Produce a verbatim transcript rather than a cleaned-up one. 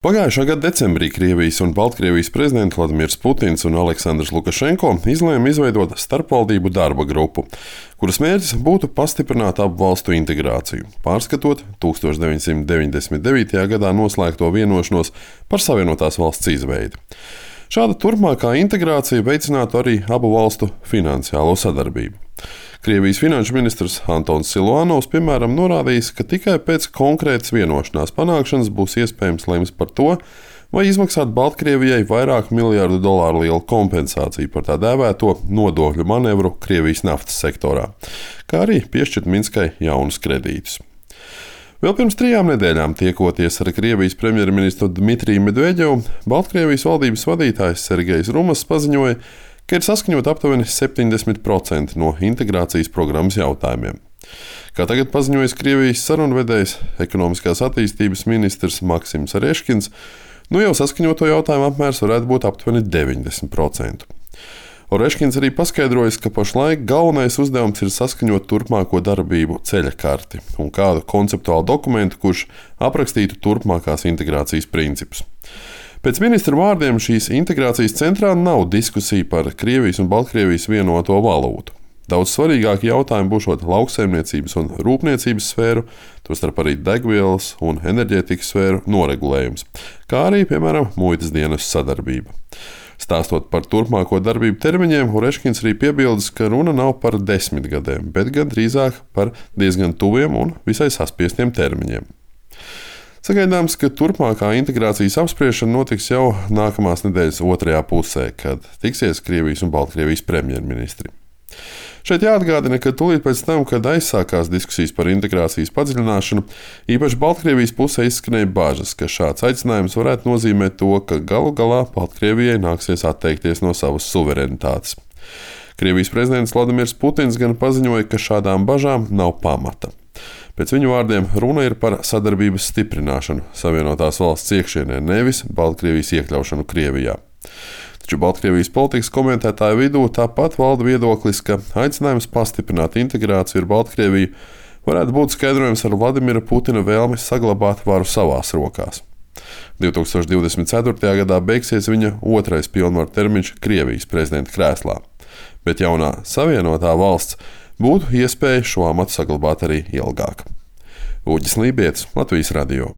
Pagājušā gada decembrī Krievijas un Baltkrievijas prezidenti Vladimirs Putins un Aleksandrs Lukašenko izlēma izveidot starpvaldību darba grupu, kuras mērķis būtu pastiprināt abu valstu integrāciju, pārskatot tūkstoš deviņsimt deviņdesmit devītajā gadā noslēgto vienošanos par Savienotās valsts izveidi. Šāda turpmākā integrācija veicinātu arī abu valstu finansiālo sadarbību. Krievijas finanšu ministrs Antons Siluanovs, piemēram, norādījis, ka tikai pēc konkrētas vienošanās panākšanas būs iespējams lemt par to, vai izmaksāt Baltkrievijai vairāk miljardu dolāru lielu kompensāciju par tā dēvēto nodokļu manevru Krievijas naftas sektorā, kā arī piešķirt Minskai jaunus kredītus. Vēl pirms trijām nedēļām tiekoties ar Krievijas premjerministru Dmitriju Medveģevu, Baltkrievijas valdības vadītājs Sergejs Rumas paziņoja, ka ir saskaņot aptuveni septiņdesmit procenti no integrācijas programmas jautājumiem. Kā tagad paziņojis Krievijas sarunvedējs, ekonomiskās attīstības ministrs Maksims Oreškins, nu jau saskaņoto jautājumu apmērs varētu būt aptuveni deviņdesmit procenti. Oreškins arī paskaidrojis, ka pašlaik galvenais uzdevums ir saskaņot turpmāko darbību ceļa karti un kādu konceptuālu dokumentu, kurš aprakstītu turpmākās integrācijas principus. Pēc ministra vārdiem šīs integrācijas centrā nav diskusija par Krievijas un Baltkrievijas vienoto valūtu. Daudz svarīgāki jautājumi būšot lauksaimniecības un rūpniecības sfēru, tostarp arī degvielas un enerģētikas sfēru noregulējums, kā arī, piemēram, muitas dienas sadarbība. Stāstot par turpmāko darbību termiņiem, Oreškins arī piebildis, ka runa nav par desmit gadiem, bet gan drīzāk par diezgan tuviem un visai saspiestiem termiņiem. Sagaidāms, ka turpmākā integrācijas apspriešana notiks jau nākamās nedēļas otrajā pusē, kad tiksies Krievijas un Baltkrievijas premjerministri. Šeit jāatgādina, ka tūlīt pēc tam, kad aizsākās diskusijas par integrācijas padziļināšanu, īpaši Baltkrievijas pusē izskanēja bažas, ka šāds aicinājums varētu nozīmēt to, ka galu galā Baltkrievijai nāksies atteikties no savas suverenitātes. Krievijas prezidents Vladimirs Putins gan paziņoja, ka šādām bažām nav pamata. Pēc viņu vārdiem runa ir par sadarbības stiprināšanu Savienotās valsts iekšienē, nevis Baltkrievijas iekļaušanu Krievijā. Taču Baltkrievijas politikas komentētāju vidū tāpat valda viedoklis, ka aicinājums pastiprināt integrāciju ar Baltkrieviju varētu būt skaidrojams ar Vladimira Putina vēlmi saglabāt varu savās rokās. divtūkstoš divdesmit ceturtajā gadā beigsies viņa otrais pilnvaru termiņš Krievijas prezidenta krēslā, bet jaunā savienotā valsts būtu iespēja šo amatu saglabāt arī ilgāk. Uģis Lībietis, Latvijas radio.